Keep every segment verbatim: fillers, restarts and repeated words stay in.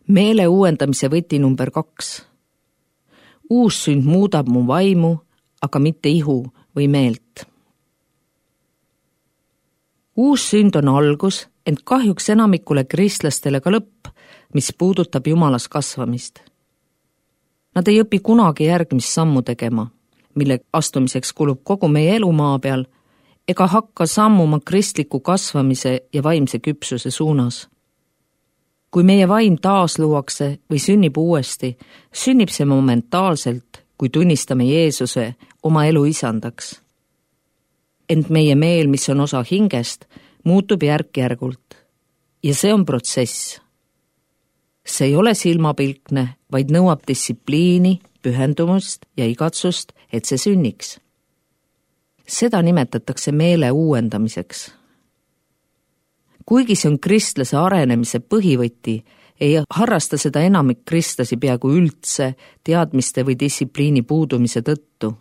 Meele uuendamise võti number kaks. Uus sünd muudab mu vaimu, aga mitte ihu või meelt. Uus sünd on algus, ent kahjuks enamikule kristlastele ka lõpp, mis puudutab Jumalas kasvamist. Nad ei õpi kunagi järgmist sammu tegema, mille astumiseks kulub kogu meie elu maa peal, ega hakka sammuma kristliku kasvamise ja vaimse küpsuse suunas. Kui meie vaim taas luuakse või sünnib uuesti, sünnib see momentaalselt, kui tunnistame Jeesuse oma elu isandaks. Ent meie meel, mis on osa hingest, muutub järk-järgult. Ja see on protsess. See ei ole silmapilkne, vaid nõuab distsipliini, pühendumust ja igatsust, et see sünniks. Seda nimetatakse meele uuendamiseks. Kuigi see on kristlase arenemise põhivõti, ei harrasta seda enamik kristlasi peaaegu üldse teadmiste või distsipliini puudumise tõttu.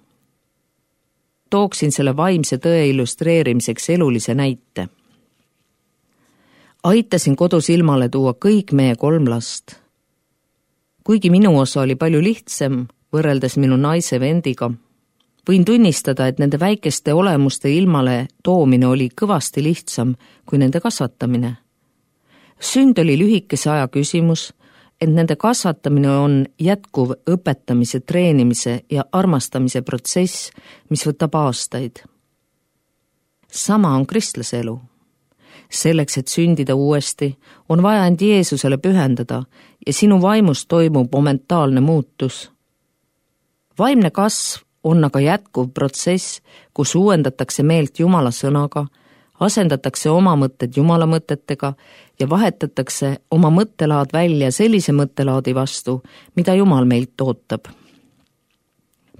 Tooksin selle vaimse tõe illustreerimiseks elulise näite. Aitasin kodus ilmale tuua kõik meie kolm last. Kuigi minu osa oli palju lihtsam, võrreldes minu naise vendiga, võin tunnistada, et nende väikeste olemuste ilmale toomine oli kõvasti lihtsam kui nende kasvatamine. Sünd oli lühikese aja küsimus, et nende kasvatamine on jätkuv õpetamise, treenimise ja armastamise protsess, mis võtab aastaid. Sama on kristlase elu. Selleks, et sündida uuesti, on vaja end Jeesusele pühendada ja sinu vaimus toimub momentaalne muutus. Vaimne kasv on aga jätkuv protsess, kus uuendatakse meelt Jumala sõnaga, asendatakse oma mõtted Jumala mõtetega ja vahetatakse oma mõttelaad välja sellise mõttelaadi vastu, mida Jumal meilt ootab.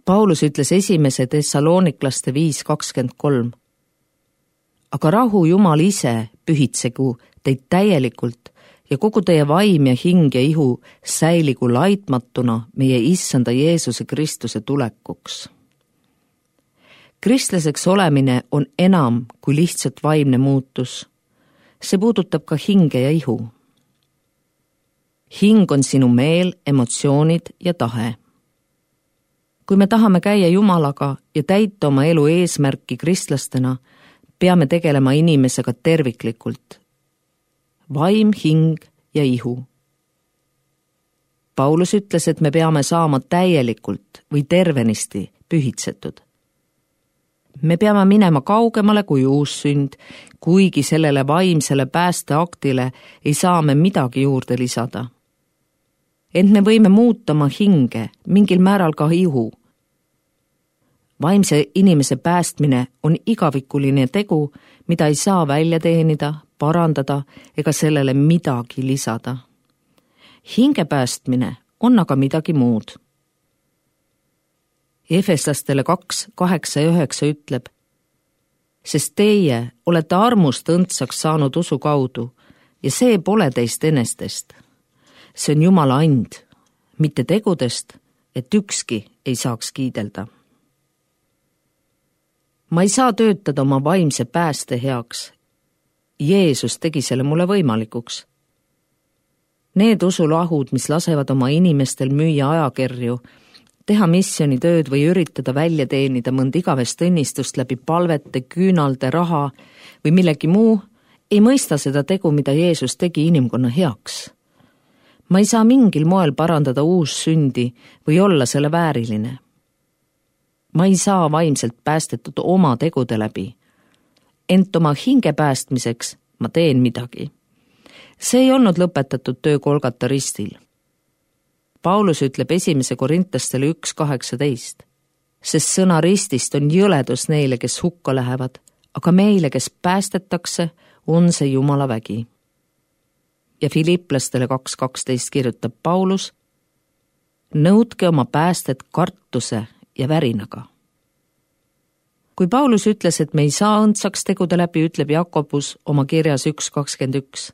Paulus ütles esimese Thessaloniklaste viis kakskümmend kolm. Aga rahu Jumal ise pühitsegu teid täielikult ja kogu teie vaim ja hing ja ihu säiligu laitmatuna meie issanda Jeesuse Kristuse tulekuks. Kristlaseks olemine on enam kui lihtsalt vaimne muutus. See puudutab ka hinge ja ihu. Hing on sinu meel, emotsioonid ja tahe. Kui me tahame käia Jumalaga ja täita oma elu eesmärki kristlastena, peame tegelema inimesega terviklikult. Vaim, hing ja ihu. Paulus ütles, et me peame saama täielikult või tervenisti pühitsetud. Me peame minema kaugemale kui uus sünd, kuigi sellele vaimsele päästeaktile ei saa me midagi juurde lisada. Ent me võime muutama hinge, mingil määral ka ihu. Vaimse inimese päästmine on igavikuline tegu, mida ei saa välja teenida, parandada ega sellele midagi lisada. Hinge päästmine on aga midagi muud. Efeslastele kaks, kaheksa ja üheksa ütleb, sest teie olete armust õndsaks saanud usu kaudu ja see pole teist enestest. See on Jumala and, mitte tegudest, et ükski ei saaks kiidelda. Ma ei saa töötada oma vaimse pääste heaks. Jeesus tegi selle mulle võimalikuks. Need usulahud, mis lasevad oma inimestel müüa ajakirju, teha missionitööd või üritada välja teenida mõnd igavest õnnistust läbi palvete, küünalde, raha või millegi muu, ei mõista seda tegu, mida Jeesus tegi inimkonna heaks. Ma ei saa mingil moel parandada uus sündi või olla selle vääriline. Ma ei saa vaimselt päästetud oma tegude läbi. Ent oma hinge päästmiseks ma teen midagi. See ei olnud lõpetatud töö Golgata ristil. Paulus ütleb esimese Korintastele üks kaheksateist, sest sõna ristist on jõledus neile, kes hukka lähevad, aga meile, kes päästetakse, on see Jumala vägi. Ja Filipplastele kaks kaksteist kirjutab Paulus, nõudke oma päästet kartuse ja värinaga. Kui Paulus ütles, et me ei saa õndsaks tegude läbi, ütleb Jakobus oma kirjas üks kakskümmend üks,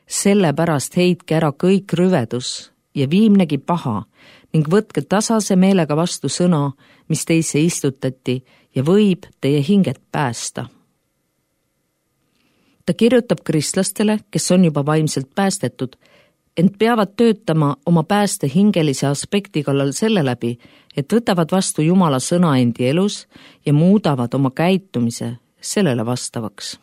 sellepärast heitke ära kõik rüvedus ja viimnegi paha ning võtke tasase meelega vastu sõna, mis teisse istutati ja võib teie hinget päästa. Ta kirjutab kristlastele, kes on juba vaimselt päästetud, ent peavad töötama oma pääste hingelise aspekti kallal selle läbi, et võtavad vastu Jumala sõna endi elus ja muudavad oma käitumise sellele vastavaks.